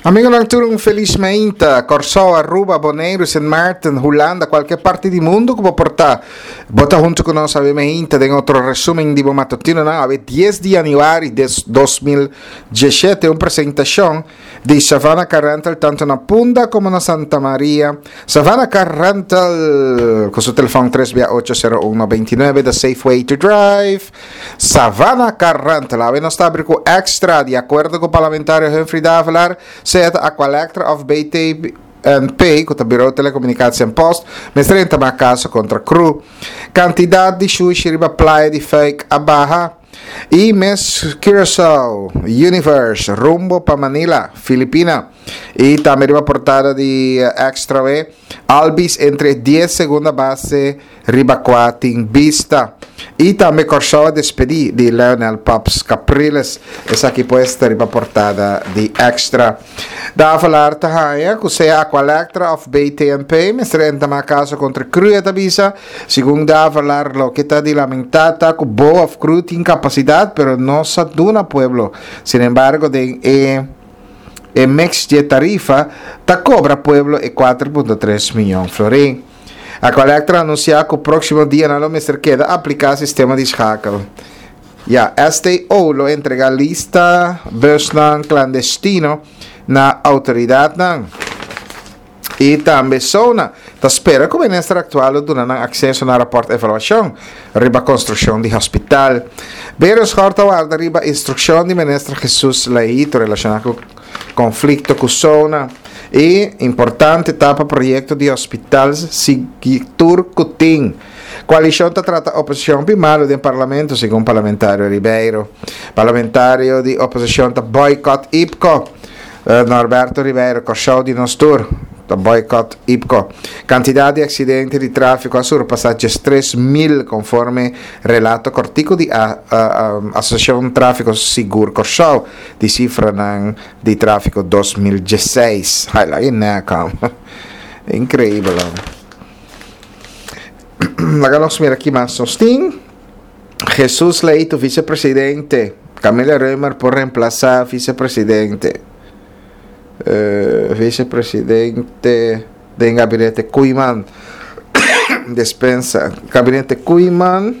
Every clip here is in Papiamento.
Amigonan tur un felis meinta. Kòrsou, Aruba, Boneiru, Sint Maarten, Hulanda, kualke parti di mundu ku bo por ta. Bo ta huntu ku nos awe meinta den otro resumen di bo matutinonan awe dies di yanüari des 2017 un presentashon di Savannah Car Rental tanto na Punda komo na Santa Maria. Savannah Car Rental ku su telefòn tres bia ocho sero un 99 the safe way to drive. Savannah Carrantel, awe nos ta abri ku extra, di akuerdo ku parlamentario Humphrey Davelaar, sea ta Aqualectra òf BTNP, ku ta Bureau Telecomunicatie en Post, mester entamá kaso kontra cru. Kantidat di shushi riba playa di Fuik a baha. I Miss Curaçao Universe rumbo pa Manila, Filipina. I tambe riba portada di Extra we, Albies entre e dies segunda base riba kua tin bista. I tambe Kòrsou a despedí di Leonel Paps Capriles. Esaki pues ta riba portada di Extra. Davelaar ta haña ku sea Aqualectra òf BTNP mester entamá kaso kontra cru e ta bisa. Segun Davelaar loke ta di lamentá ta ku bo òf cru tin kapasidat pero no sa duna pueblo. Sinembargo den e e mix dje tarifa ta kobra pueblo e 4.3 miyon florin. Aqualectra a anunsiá ku próksimo dianan lo mester keda apliká sistema di schakel. Ya, STO lo entregá lista busnan klandestino na outoridatnan. I tambe SONA ta spera ku minister aktual lo duna nan akseso na rapòrt evaluashon riba konstrukshon di hospital. Berenschot ta warda riba instrukshon di minister Jesus Leito relashoná ku Konflikto ku Sona i importante ta pa proyekto di hospital sigui tur ku tin. Koalishon ta trata oposishon pi malu den parlamento, segun parlamentario Ribeiro. Parlamentario di oposishon ta boycott IPKO. Norberto Ribeiro, Kòrsou di nos tur ta boycott IPKO. Kantidat di aksidente di tráfiko a surpasá 13,000 konforme relato kòrtiku di Asosiashon Tráfiko Sigur Kòrsou. Di cifranan di trafico 2016. Ay, laga e nek am. Increíbel. Laga nos mira ki mas nos tin. Jesus Leito, vicepresidente. Camila Römer por reemplaza vicepresidente. Uh, vicepresidente den gabinete Koeiman. Despensa. Gabinete Koeiman.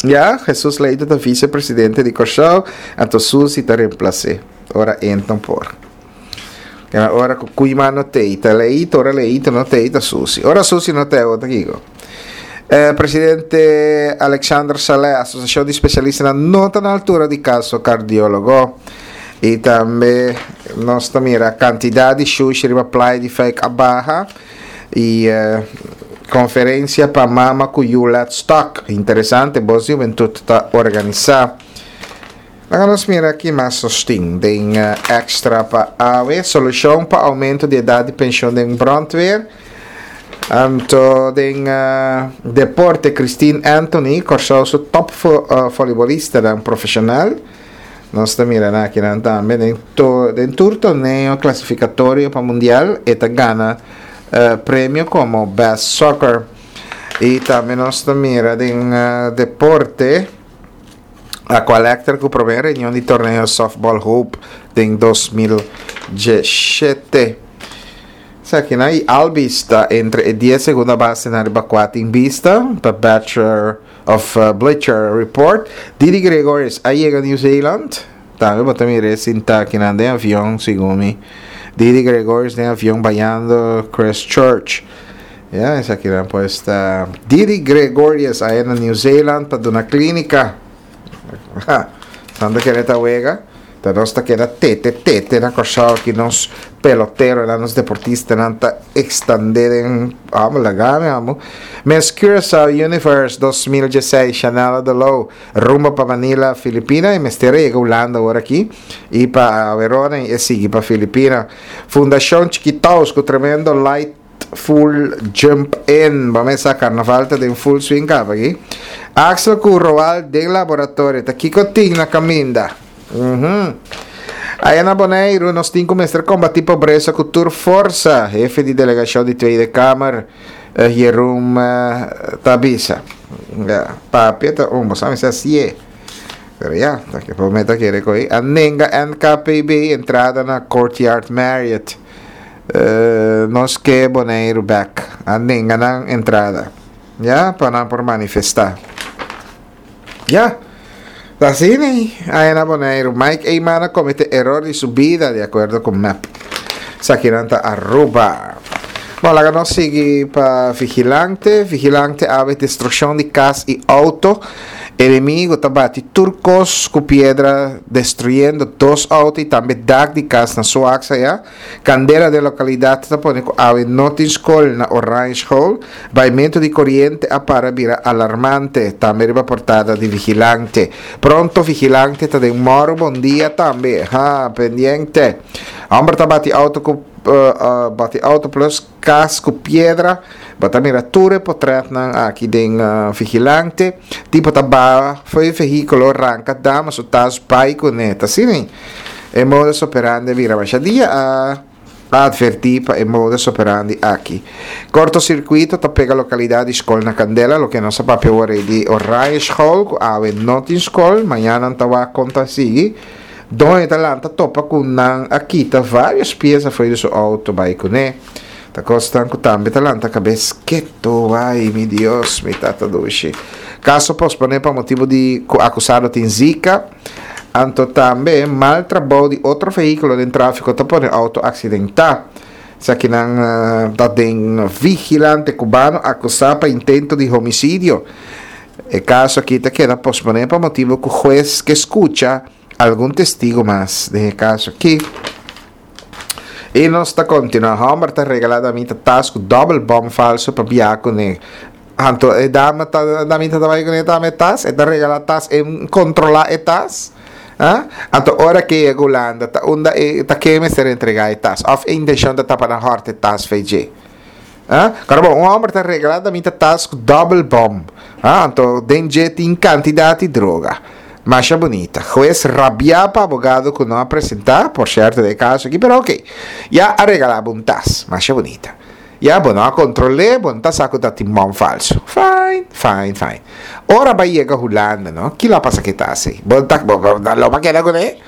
Ya, Jesus Leito ta vicepresidente di Kòrsou, anto Susi ta remplas'é. Ora enton por. Ya, ora ku Koeiman no t'ei, ta Leito, ora Leito no t'ei, ta Susi. Ora Susi no t'ei, awor ta kiko? Eh, presidente Alexander Saleh, Asosiashon di Spesialistanan no ta na altura di kaso kardiólogo. I tambe nos ta mira kantidat di shushi riba playa di Fuik a baha. Y conferencia pa mama cu yu Let's Talk. Interesante, Bos di Hubentud ta organisa. Laga nos mira ki mas nos tin den extra pa awe. Solucion pa aumento di edad di pensioen den brandweer. Anto den deporte Christine Anthony, Kòrsou su top volleybolistanan profesional. Nos ta mira nan akinan tambe den to den tur torneo klasifikatorio pa mundial e ta gana premio komo best soccer. I tambe nos ta mira den deporte Aqualectra ku promé reunion di torneo softball Hope den 2017. Esakinan i Albies ta entre e dies segunda basenan riba kua tin bista pa Bachelor of Bleacher Report, Didi Gregorius a yega New Zealand. Tambe bo ta mira e sinta akinan den avion, segun mi. Didi Gregorius den avion bayando Christchurch. Ya, esakinan pues ta Didi Gregorius a na New Zealand pa duna klinika. Tanto kere ta wega. Ta nos ta keda tete tete na Kòrsou aki nos peloteronan, nos deportistanan ta ekstandé den amo laga mi amo. Miss Curaçao Universe 2016 Shanella de Loo rumbo pa Manila, Filipina y mester a yega Hulanda awor aki y pa Verona y e sigui pa Filipina. Fundashon Chikitous ku tremendo light Full jump in. Bo mesa carnaval ta den full swing caba aki. Axel cu Roald den laboratorio. Ta kico tin na caminda? Mhm. Aya na Boneiru nos tin cu mester combati pobresa cu tur forsa, hefe di delegacion di Tweede Kamer, eh, Jeroen eh, ta bisa. Ja, papia ta un, bo sa mi sa sie. Pero ya, ta ke por meta kere koe. A nenga NKPB entrada na Courtyard Marriott. Nos ke Boneiru bek. A nenga nan entrada. Ya, pa nan por manifesta. Ya. Ta asina ei, aya na Boneiru. Mike Eman a comete eror di su bida, di acuerdo cu mep. Esakinan ta Aruba. Bon, laga nos sigui pa Vigilante. Vigilante awe destruccion di cas y auto. Enemigo ta bati tur cos cu piedra destruyendo dos auto y tambe dak di cas na Soax aya. Candela den localidad ta pone cu awe no tin scol na Oranje School. Baimento di coriente a para bira alarmante, tambe riba portada di Vigilante. Pronto Vigilante ta den moro bon dia tambe. Ha, pendiente. Homber ta bati auto cu bati auto plus cas cu piedra. Bo ta mira tur e potretnan aki den Vigilante. Tipo ta baha fo'i e vehiculo, ranca dama su tas bai cune. Ta asina ei. E modus operandi a bira masha dia a adverti pa e modus operandi aki. Cortocircuito ta pega localidad di scol na candela, loke nos a papia awor ei di Oranje School cu awe no tin scol, mañana nan ta wak con ta sigui. Doño ta lanta topa cu nan a kita varios pieza fo'i di su auto bai cune. Ta cosnan cu tambe ta lanta cabes keto, ay mi Dios, mi tata dushi. Caso pospone pa motibo di cu acusado tin Zika. Anto tambe mal trabou di otro vehíkulo den tráfiko ta pone outo aksidentá. Esakinan ta den vigilante kubano akusá pa intento di homisidio. E kaso aki ta keda posponé pa motibu ku hues ke skucha algun testigu mas den e kaso aki. I nos ta kontinuá. Hòmber ta regalá damita tas ku dòbel bòm falsu pa biaha kuné. Anto e dama ta damita ta bai kuné tambe e tas, e ta regalá tas, e kontrolá e tas. Ah? Anto ora ke yega Hulanda ta unda e ta ke mester entregá e tas òf e intenshon ta ta pa nan hòrta e tas fei dje. Ah? Kòrda bon, un hòmber ta regalá damita tas ku dòbel bòm. Ah? Anto den dje tin kantidat di droga. Masha bunita. Hues rabiá pa abogado ku no a presentá, por sierto den e kaso aki, pero oke. Ya a regalá bo un tas. Masha bunita. Ya bo no a kontrol'é, bo no ta sa ku ta tin bòn falsu. Fine, fine, fine. Ora bai yega Hulanda, no, kila a pasa ku e tas ei? Bo ta, bo, bo lo a keda kuné?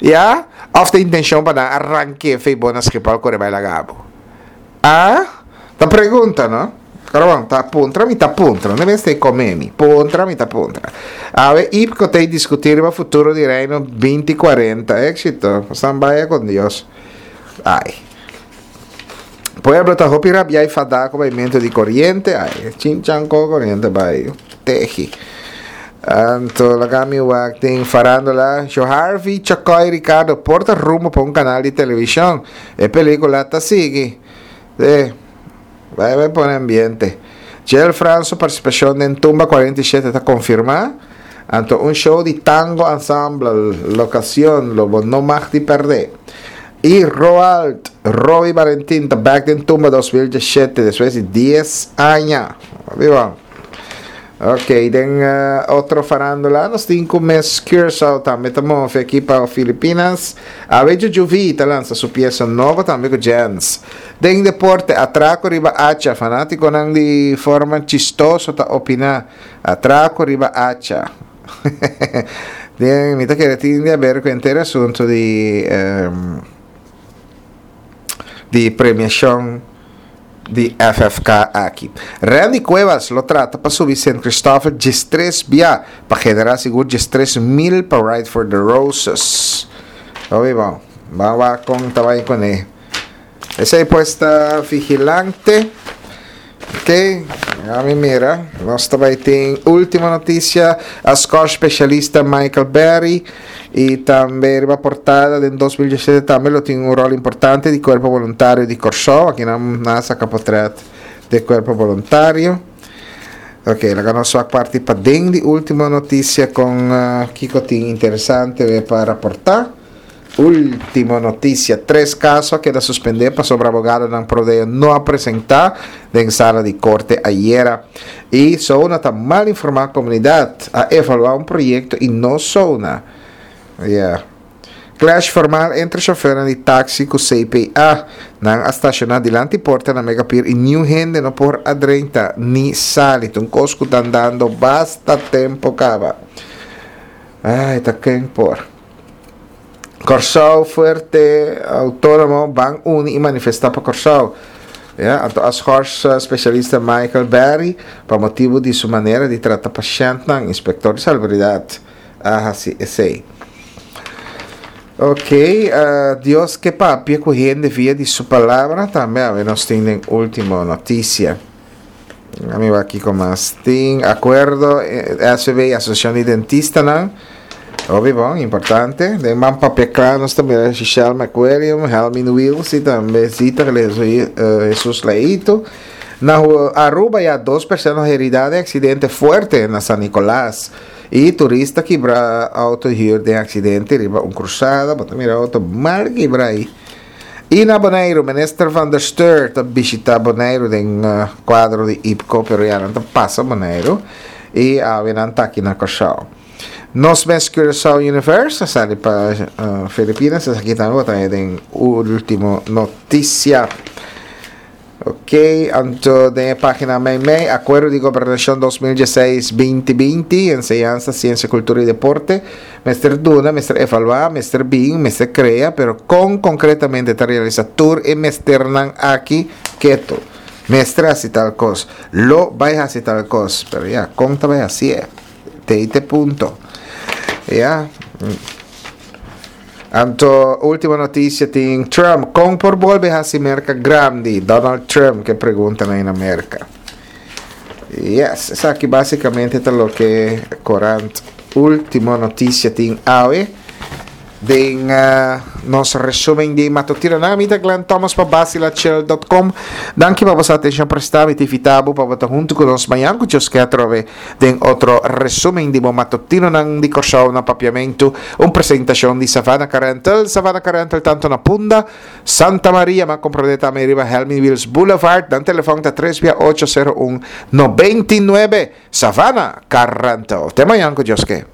Ya? Òf ta intenshon pa nan a rank'é fei bo na Schiphol kore bai laga bo? A Ta pregunta, no? Pero bon, ta puntra mi ta puntra, no mester come mi, puntra mi ta puntra. Awe Ipco ta discuti riba futuro di Reino 2040, éxito, pasan baya con Dios. Ai. Pueblo ta hopi rabia y fada cu baimento di coriente, ai, chinchan co coriente bai, tehi. Anto laga mi wak den farandola, Jo Harvey, Chacoy, Ricardo por ta rumbo pa un canal di television. E pelicula ta sigui. Sí. Bai bai pone ambiente. Jel Frans su participacion den Tumba 47 ta confirma. Anto un show di tango ensemble, locacion lo bo no mag di perde. Y Roald, Roy Valentin ta back den Tumba 2017 despues di 10 aña. Viva. Ok, den otro farándula nos tin ku Miss Curaçao tambe ta move aki pa Filipinas. Awe Jujuvi ta lansa su piesa nobo tambe ku Jens. Den deporte, atrako riba Acha, fanátikonan di forma chistoso ta opiná, Atrako riba Acha. Den, mi ta kere tin di aber ku henter asuntu di di premiashon. di FFK aki. Randy Cuevas lo trata pa subi Sint Christopher diestres bia pa genera sigur diestres mil pa Ride for the Roses. Obi bon, ban wak kon ta bai kuné. Esei pues ta Vigilante. Ok, ami mira, nos ta bai tin ultimo noticia, a score specialista Michael Berry y tambe riba portada den 2017 tambe lo tin un rol importante di Cuerpo Voluntario di Corsou, aki nan a saca potret di Cuerpo Voluntario. Ok, laga nos wak parti paden di ultimo noticia con uh, kiko tin interesante pa raporta. Ultimo noticia, Tres caso a keda suspende pasobra abogadonan prodeo no a presenta den sala di corte ayera. Y Souna ta mal informa comunidad, a evalua un proyecto y no Souna. Yeah. Clash formal entre chofernan di taxi cu CPA. Nan a staciona dilanti porta na Megapier y niun hende no por a drenta ni sali. Ta un cos cu ta andando basta tempo caba. Ai, ta ken por. Kòrsou fuerte, outónomo, ban uni i manifestá pa Kòrsou. Ya, anto a schors spesialista Michael Berry pa motibu di su manera di trata pashèntnan. Inspektor di Salubridat a hasi esei. Ok, Dios ke papia ku hende via di su palabra tambe awe nos tin den último notisia. Mi wak kiko mas tin. Akuerdo SVB i Asosiashon di Dentistanan. Hopi bon, importante. Den man papia kla nos ta mira Shishel McWilliam, Helmin Wiels i tambe Zita Jesus Leito. Na Aruba ya dos persona herida den aksidente fuerte na San Nicolas. I turista kibra auto huur den aksidente riba un krusada. Bo ta mira auto mal kibra ei. I na Boneiru, Minister van der Steur ta bishita Boneiru den kuadro di IPCO, pero ya nan ta pasa Boneiru i awe nan ta aki na Kòrsou. Nos mes Curaçao Universe a sali pa Filipinas, esaki tambe bo ta haña den Ultimo Noticia. Ok, anto den e pagina meimei, Akuerdo di Gobernashon 2016 2020, Enseñansa, Siensia, Kultura i Deporte, mester duna, mester evaluá, mester bin, mester krea, pero kon konkretamente ta realisá tur e mesternan aki? Ketu. Mester hasi tal kos. Lo bai hasi tal kos. Pero ya, kon ta bai hasié? Te ei te punto. Ya. Anto ultimo noticia tin Trump con por bolbe haci Merca grandi? Donald Trump ke pregunta na Merca. Yes, esaki basicamente ta loke corant ultimo noticia tin awe. Den uh, nos resumen di matutino na mi ta Glenn Thomas pa basilachel.com. Danki pa boso atencion presta. Mi ta invita bo pa bo ta hunto cu nos mañan cu Dios ke atrobe. Den otro resumen di bo matutinonan di Kòrsou na Papiamentu, un presentashon di Savannah Car Rental. Savannah Car Rental tantu na Punda, Santa Maria, ma komprondé tambe riba Helmin Wiels Boulevard. Nan telefòn ta tres bia ocho sero un 99. Savannah Car Rental. Te mañan ku Dios ke.